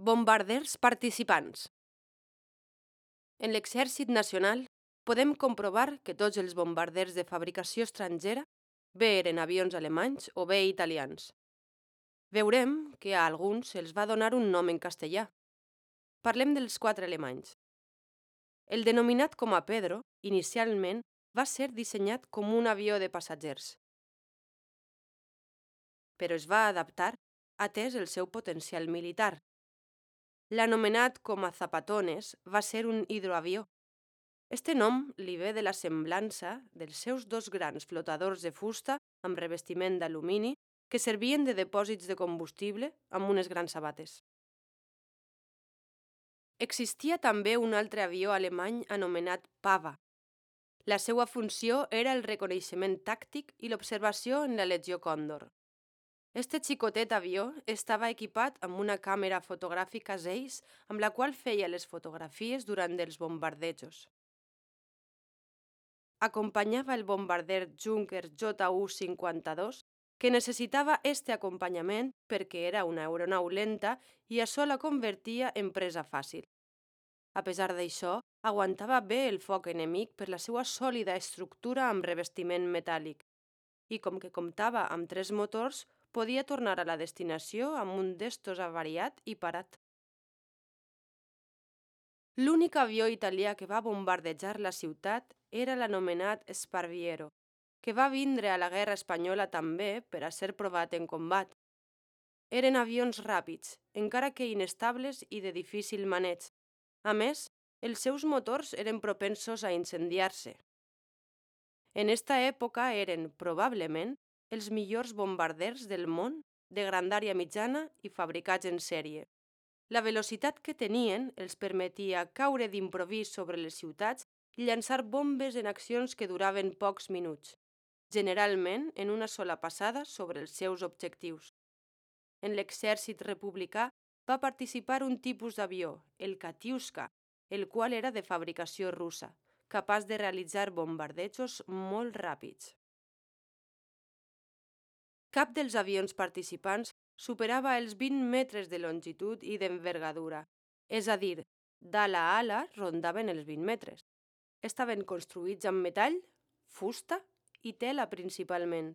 Bombarders participants. En l'Exèrcit Nacional podem comprovar que tots els bombarders de fabricació estrangera bé eren avions alemanys o bé italians. Veurem que a alguns se'ls va donar un nom en castellà. Parlem dels 4 alemanys. El denominat com a Pedro, inicialment, va ser dissenyat com un avió de passatgers, però es va adaptar atès el seu potencial militar. L'anomenat com a Zapatones va ser un hidroavió. Este nom li ve de la semblança dels seus 2 grans flotadors de fusta amb revestiment d'alumini que servien de depòsits de combustible amb unes grans sabates. Existia també un altre avió alemany anomenat Pava. La seva funció era el reconeixement tàctic i l'observació en la Legió Còndor. Este xicotet avió estava equipat amb una càmera fotogràfica Zeiss amb la qual feia les fotografies durant els bombardejos. Acompanyava el bombarder Junkers Ju-52, que necessitava este acompanyament perquè era una aeronau lenta i això la convertia en presa fàcil. A pesar d'això, aguantava bé el foc enemic per la seva sòlida estructura amb revestiment metàl·lic i com que comptava amb 3 motors, podia tornar a la destinació amb un d'estos avariat i parat. L'únic avió italià que va bombardejar la ciutat era l'anomenat Sparviero, que va vindre a la Guerra Espanyola també per a ser provat en combat. Eren avions ràpids, encara que inestables i de difícil maneig. A més, els seus motors eren propensos a incendiar-se. En esta època eren, probablement, els millors bombarders del món de grandària mitjana i fabricats en sèrie. La velocitat que tenien els permetia caure d'improvís sobre les ciutats i llançar bombes en accions que duraven pocs minuts, generalment en una sola passada sobre els seus objectius. En l'exèrcit republicà va participar un tipus d'avió, el Katiuska, el qual era de fabricació russa, capaç de realitzar bombardejos molt ràpids. Cap dels avions participants superava els 20 metres de longitud i d'envergadura, és a dir, d'ala a ala rondaven els 20 metres. Estaven construïts amb metall, fusta i tela principalment.